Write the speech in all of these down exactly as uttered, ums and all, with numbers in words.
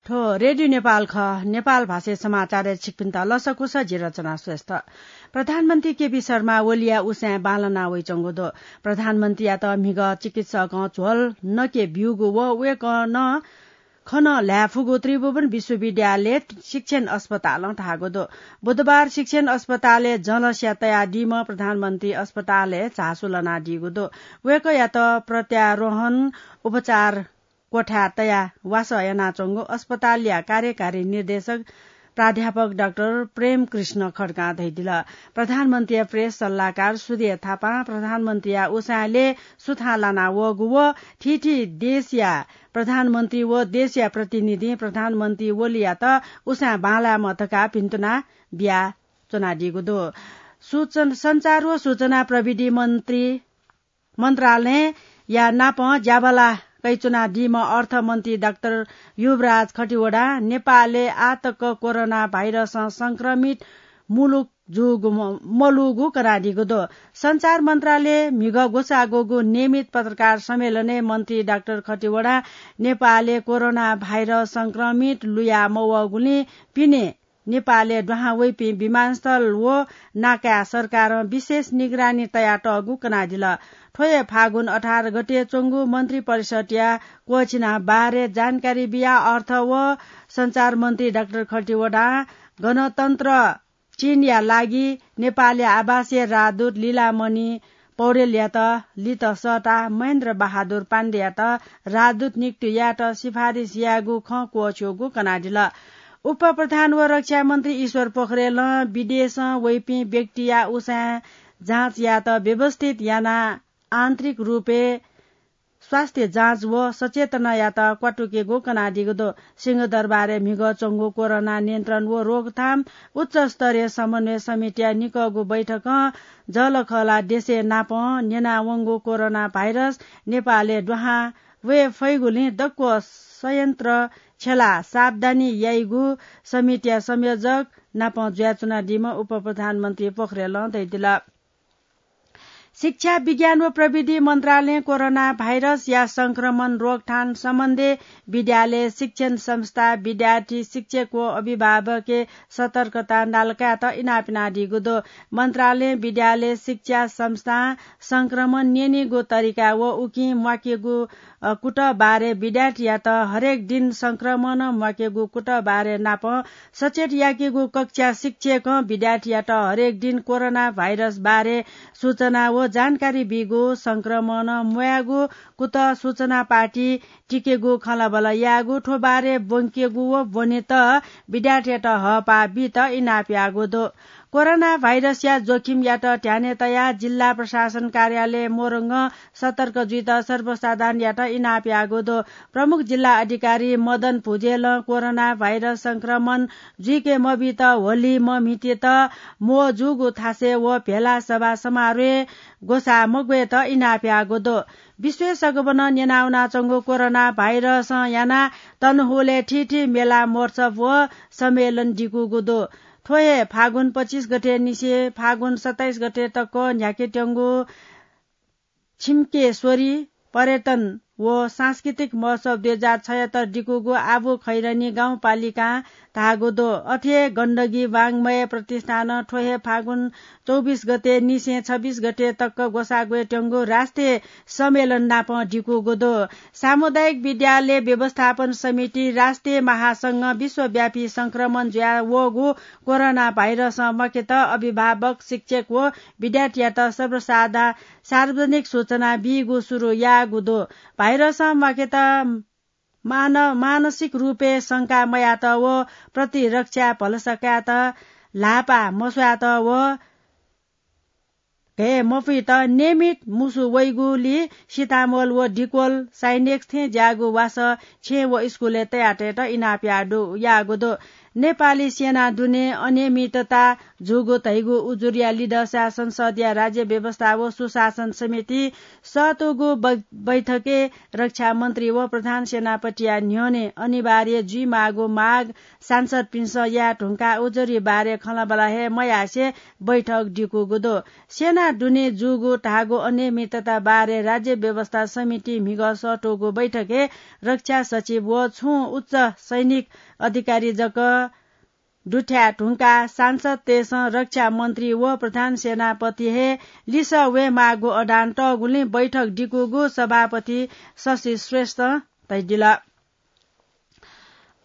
थ्व रेडियो नेपाल खः। नेपाल भाषाय् समाचारय् छिकपिन्त लसकुस, जि रचना श्रेष्ठ। प्रधानमन्त्री केपी शर्मा ओलीया उसाँय् बांलाना वइच्वंगु दु। प्रधानमन्त्रीयात म्हिगः चिकित्सकं झ्वल नके ब्यूगु व वय्कलं खँ ल्हाये फुगु त्रिभुवन विश्वविद्यालय शिक्षण अस्पतालं धाःगु दु। बुधबार शिक्षण अस्पतालय् जलस्या तयादीम्ह प्रधानमन्त्री अस्पतालय् झासु लनादीगु दु। वय्कःयात प्रत्यारोहण उपचार कोठाय् तयाः वासः यानाच्वंगु अस्पतालया कार्यकारी निर्देशक प्राध्यापक डाक्टर प्रेम कृष्ण खड्कां धयादिल। प्रधानमन्त्रीया प्रेस सल्लाहकार सूर्य थापां प्रधानमन्त्रीया उसाँय्‌ले सुथां लाना वःगु व थीथी देशया प्रधानमन्त्री व देशया प्रतिनिधिं प्रधानमन्त्री ओलीयात उसाँय् बांलायेमा धकाः भिन्तुना बियाच्वनादीगु दु। सूचन-, सञ्चार व सूचना प्रविधि मन्त्री मन्त्रालयया नापं ज्याबला कयाच्वनादीम्ह अर्थमन्त्री डाक्टर युवराज खतिवडां नेपालय् आःतक कोरोना भाइरसं संक्रमित मुलुक जूगु म-, मलूगु कनादीगु दु। सञ्चार मन्त्रालय म्हिगः ग्वसाः ग्वःगु नियमित पत्रकार सम्मेलनय् मन्त्री डाक्टर खतिवडां नेपालय् कोरोना भाइरस संक्रमित लुया मवःगुलिं पिने नेपालय् दुहां वइपिं विमानस्थल व नाकाय् सरकारं विशेष निगरानी तयातःगु कनादिल। थ्व हे फागुन अठार गते च्वंगु मन्त्री परिषदया क्वःछिना बारे जानकारी बियाः अर्थ व सञ्चार मन्त्री डाक्टर खतिवडां गणतन्त्र चिनया लागि नेपालया आवासीय राजदूत लीलामणि पौडेलयात लित सःताः महेन्द्र बहादुर पाण्डेयात राजदूत नियुक्ति यायेत सिफारिस यायेगु खँ क्वःछ्यूगु कनादिल। उपप्रधान व रक्षा मन्त्री ईश्वर पोखरेलं विदेशं वइपिं व्यक्तिया उसाँय् जाँच यायेत व्यवस्थित यानाः आन्तरिक रूपय् स्वास्थ्य जाँच व सचेतनायात क्वातुकेगु कनादीगु दु। सिंहदरबारय् म्हिगः च्वंगु कोरोना नियन्त्रण व रोकथाम उच्च स्तरीय समन्वय समितिया निकःगु बैठकं जःलाखःला देशय् नापं न्यनावंगु कोरोना भाइरस नेपालय् दुहां वये फइगुलिं दक्व संयन्त्र छ्यलाः सावधानी याइगु समितिया संयोजक नापं जुयाच्वनादीम्ह उपप्रधानमन्त्री पोखरेलं धयादिल। शिक्षा, विज्ञान व प्रविधि मन्त्रालयं कोरोना भाइरसया संक्रमण रोकथाम सम्बन्धी विद्यालय, शिक्षण संस्था, विद्यार्थी, शिक्षक व अभिभावकय् सतर्कता नालाकायेत इनाप यानादीगु दु। मन्त्रालयं विद्यालय, शिक्षा संस्थां संक्रमण न्यनीगु तरिका व उकिं म्वाकेगु, अ, कुतः बारे विद्यार्थीयात हरेक दिन संक्रमण म्वाकेगु कुतः बारे नापं सचेत याकेगु कक्षा शिक्षकं विद्यार्थीयात हरेक दिन कोरोना भाइरस बारे सूचना व जानकारी बीगु, संक्रमण म्वायेगु कुतः सूचना पार्टी टिकेगु खँल्हाबल्हा यायेगु, थ्व बारे ब्वंकेगु व ब्वनेत विद्यार्थीयात हःपाः बीत इनाप याःगु दु। कोरोना भाइरसया जोखिमयात ध्यानय् तयाः जिल्ला प्रशासन कार्यालय मोरङं सतर्क जुइत सर्वसाधारणयात इनाप याःगु दु। प्रमुख जिल्ला अधिकारी मदन भुजेलं कोरोना भाइरस संक्रमण जुइके मबीत होली मम्हितेत म्हो जूगु थासय् व भेला सभा समारोहय् ग्वसाः मग्वयेत इनाप याःगु दु। विश्वय् सगबनं न्यनावनाच्वंगु कोरोना भाइरसं यानाः तनहुलय् थीथी मेला, महोत्सव व सम्मेलन दिकूगु दु। थ्व हे फागुन पच्चिस गते निसें फागुन सत्ताइस गते तक न्ह्याकेत्यंगु छिम्केश्वरी पर्यटन व सांस्कृतिक महोत्सव दुई हजार छयत्तर दिकूगु आबु खैरनी गाउँपालिकां धाःगु दु। अथे हे गण्डकी वाङ्मय प्रतिष्ठानं थ्व हे फागुन चौबिस गते निसें छब्बिस गते तक ग्वसाः ग्वयेत्यंगु राष्ट्रिय सम्मेलन नापं दिकूगु दु। सामुदायिक विद्यालय व्यवस्थापन समिति राष्ट्रिय महासंघं विश्वव्यापी संक्रमण जुया वःगु कोरोना भाइरसं म्वाकेत अभिभावक, शिक्षक व विद्यार्थीयात सर्वसाधा-, सार्वजनिक सूचना बीगु सुरु याःगु दु। भाइरसं म्वाकेत मान-, मानसिक रूपय् शंका मयात व प्रतिरक्षा भलसा कायेत ल्हापा मस्वायेत व घय् मफुइत नियमित मुसु वइगुलिं सितामोल व डिक्वल साइनेक्स थें ज्याःगु वासः छेँ व स्कुलय् तयातयेत इनाप याःगु दु। नेपाली सेना दुने अनियमितता जूगु धइगु उजुरया लिधंसा संसदया राज्य व्यवस्था व सुशासन समिति सतुगु बै-, बैठकय् रक्षा मन्त्री व प्रधान सेनापतिया न्ह्यःने अनिवार्य जुइमाःगु माग सांसदपिन्सं याये धुंकाः उजुरी बारे खँल्हाबल्हा हे मयासें बैठक दिकूगु दु। सेना दुने जूगु धाःगु अनियमितता बारे राज्य व्यवस्था समिति म्हिगः सतुगु बैठकय् रक्षा सचिव व छुं उच्च सैनिक अधिकारी जक दुथ्याये धुंकाः सांसदतय्सं रक्षा मन्त्री व प्रधान सेनापति हे लिसः वयेमाःगु अडान तःगुलिं बैठक दिकूगु सभापति शशि श्रेष्ठं धयादिल।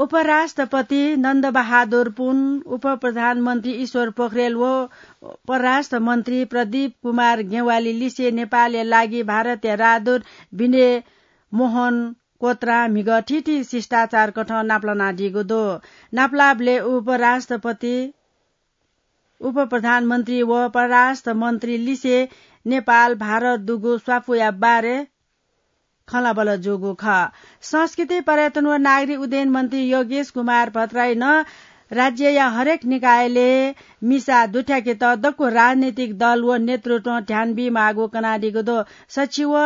उपराष्ट्रपति नन्दबहादुर पुन, उपप्रधानमन्त्री ईश्वर पोखरेल व परराष्ट्र मन्त्री प्रदीप कुमार ज्ञवाली लिसे नेपालया लागि भारतया राजदूत विनय मोहन क्वत्रां म्हिगः थीथी शिष्टाचार कथं नापलानादीगु दु। नापलाःबलय् उपराष्ट्रपति, उपप्रधानमन्त्री व परराष्ट्र मन्त्री लिसे नेपाल भारत दुगु स्वापूया बारे खँल्हाबल्हा जूगु खः। संस्कृति, पर्यटन व नागरिक उड्डयन मन्त्री योगेश कुमार भट्टराईं राज्यया हरेक निकायले मिसा दुथ्याकेत दक्व राजनीतिक दल व नेतृत्वं ध्यान बीमाःगु कनादीगु दु। सच्छि व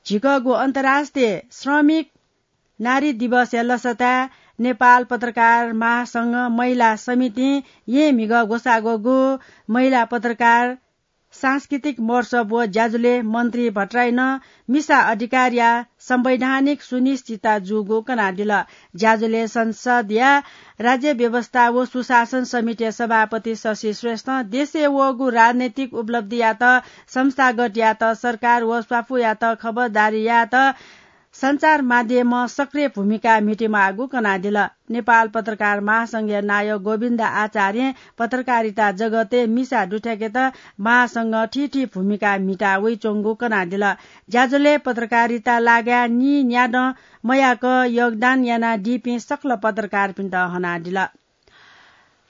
झिकःगु अन्तर्राष्ट्रिय श्रमिक नारी दिवसया लसताय् नेपाल पत्रकार महासंघ महिला समितिं येँ म्हिगः ग्वसाः ग्वःगु महिला पत्रकार सांस्कृतिक महोत्सव व ज्याझ्वलय् मन्त्री भट्टराईं मिसा अधिकारया संवैधानिक सुनिश्चितता जूगु कनादिल। ज्याझ्वलय् संसदया राज्य व्यवस्था व सुशासन समितिया सभापति शशि श्रेष्ठं देशय् वःगु राजनैतिक उपलब्धियात, संस्थागतयात, सरकार व स्वापूयात खबरदारी यायेत सञ्चार माध्यमं सक्रिय भूमिका म्हितेमाःगु कनादिल। नेपाल पत्रकार महासंघया नायः गोविन्द आचार्यं पत्रकारिता जगतय् मिसा दुथ्याकेत महासंघं थीथी भूमिका म्हिता वइच्वंगु कनादिल। ज्याझ्वलय् पत्रकारिता लागाय् नीन्यादँ मयाक योगदान यानादीपिं सकल पत्रकारपिन्त हनादिल।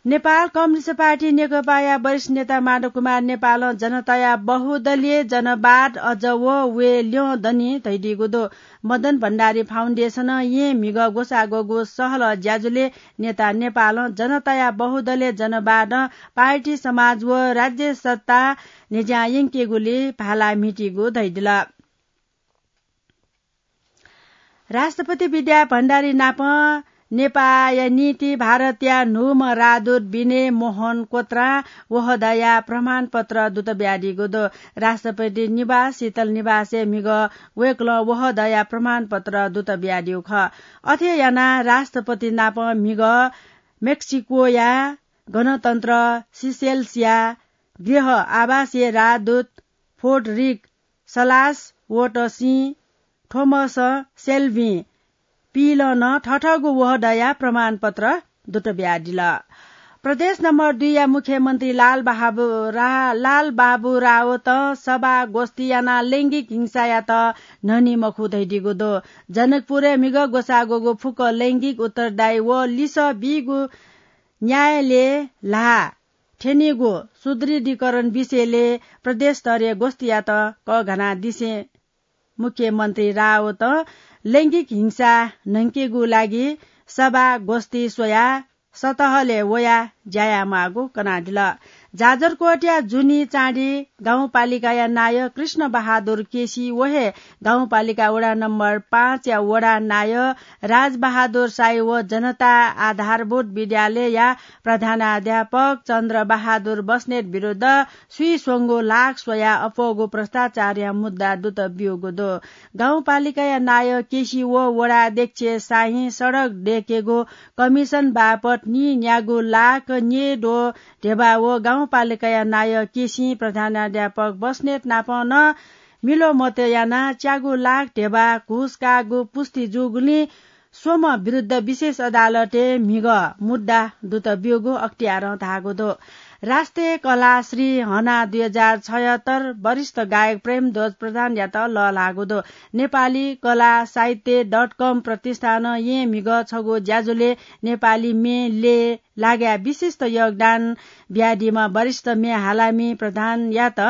नेपाल कम्युनिस्ट पार्टी नेकपाया वरिष्ठ नेता माधव कुमार नेपालं जनताया बहुदलीय जनवाद अझ व वये ल्यं दनि धयादीगु दु। मदन भण्डारी फाउन्डेसनं येँ म्हिगः ग्वसाः ग्वःगु सहलह ज्याझ्वलय् नेता नेपालं जनताया बहुदलीय जनवादं पार्टी, समाज व राज्य सत्ता न्ह्यज्यां यंकेगुली भाला म्हितीगु धयादिल। राष्ट्रपति विद्या भण्डारी नाप नेपाःया निंतिं भारतया न्हूम्ह राजदूत विनय मोहन क्वत्रां वहःदया प्रमाणपत्र दुत बियादीगु दु। राष्ट्रपति निवास शीतल निवासय् म्हिगः वय्कलं वहःदया प्रमाणपत्र दुत बियादीगु खः। अथे यानाः राष्ट्रपति नाप म्हिगः मेक्सिकोया गणतन्त्र सिसेल्सया गृह आवासय् राजदूत फ्रेडरिक सलास वोटसिं थोमस सेल्भिं पिइलं नं थथःगु वहःदया प्रमाणपत्र दुत बियादिल। प्रदेश नम्बर दुईया मुख्यमन्त्री लाल बहाबु-, रा-, लाल बाबु रावतं सभा गोष्ठी यानाः लैंगिक हिंसायात न्हनी मखु धयादीगु दु। जनकपुरय् म्हिगः ग्वसाः ग्वःगु फुक्क लैंगिक उत्तरदायी व लिसः बीगु न्यायालय ल्हाः थ्यनीगु सुदृढीकरण विषयले प्रदेश स्तरीय गोष्ठीयात कःघानादिसें मुख्यमन्त्री रावतं लैंगिक हिंसा न्हंकेगु लागि सभा गोष्ठी स्वयाः सतहलय् वयाः ज्या यायेमाःगु कनादिल। जाजरकोटया जुनी चाँडी गाउँपालिकाया नायः कृष्ण बहादुर केसी व हे गाउँपालिका वडा नम्बर पाँचया वडा नायः राजबहादुर साई व जनता आधारभूत विद्यालयया प्रधानाध्यापक चन्द्र बहादुर बस्नेत विरुद्ध स्वीस्वंगू लाख स्वयाः अप्वःगू भ्रष्टाचारया मुद्दा दुत ब्यूगु दु। गाउँपालिकाया नायः केसी व वडा अध्यक्ष साहिं सडक दयेकेगु कमिसन बापत नीन्यागू लाख न्येद्वः ध्यबा व गाउँपालिकाया नायः केसी प्रधानाध्यापक बस्नेत नाप नं मिलो मत यानाः च्यागू लाख ध्यबा घुस काःगु पुष्टि जूगुलिं स्वम्ह विरुद्ध विशेष अदालतय् म्हिगः मुद्दा दुत ब्यूगु अख्तियारं धाःगु दु। राष्ट्रिय कला श्री हना दुई हजार छयहत्तर वरिष्ठ गायक प्रेमध्वज प्रधानयात लःल्हाःगु दु। नेपाली कला साहित्य डट कम प्रतिष्ठानं येँ म्हिगः छगू ज्याझ्वलय् नेपाली म्ये लय् लागाय् विशिष्ट योगदान बियादीम्ह वरिष्ठ म्ये हालामि प्रधानयात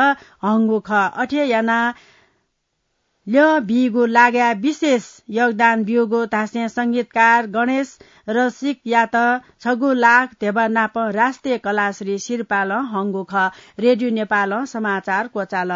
हंगु खः। अथे यानाः ल्यः बीगु लागाय् विशेष योगदान ब्यूगु धासें संगीतकार गणेश रसिकयात छगू लाख ध्यबा नाप राष्ट्रिय कलाश्री सिरपालं हंगु खः। रेडियो नेपालं समाचार क्वचाल।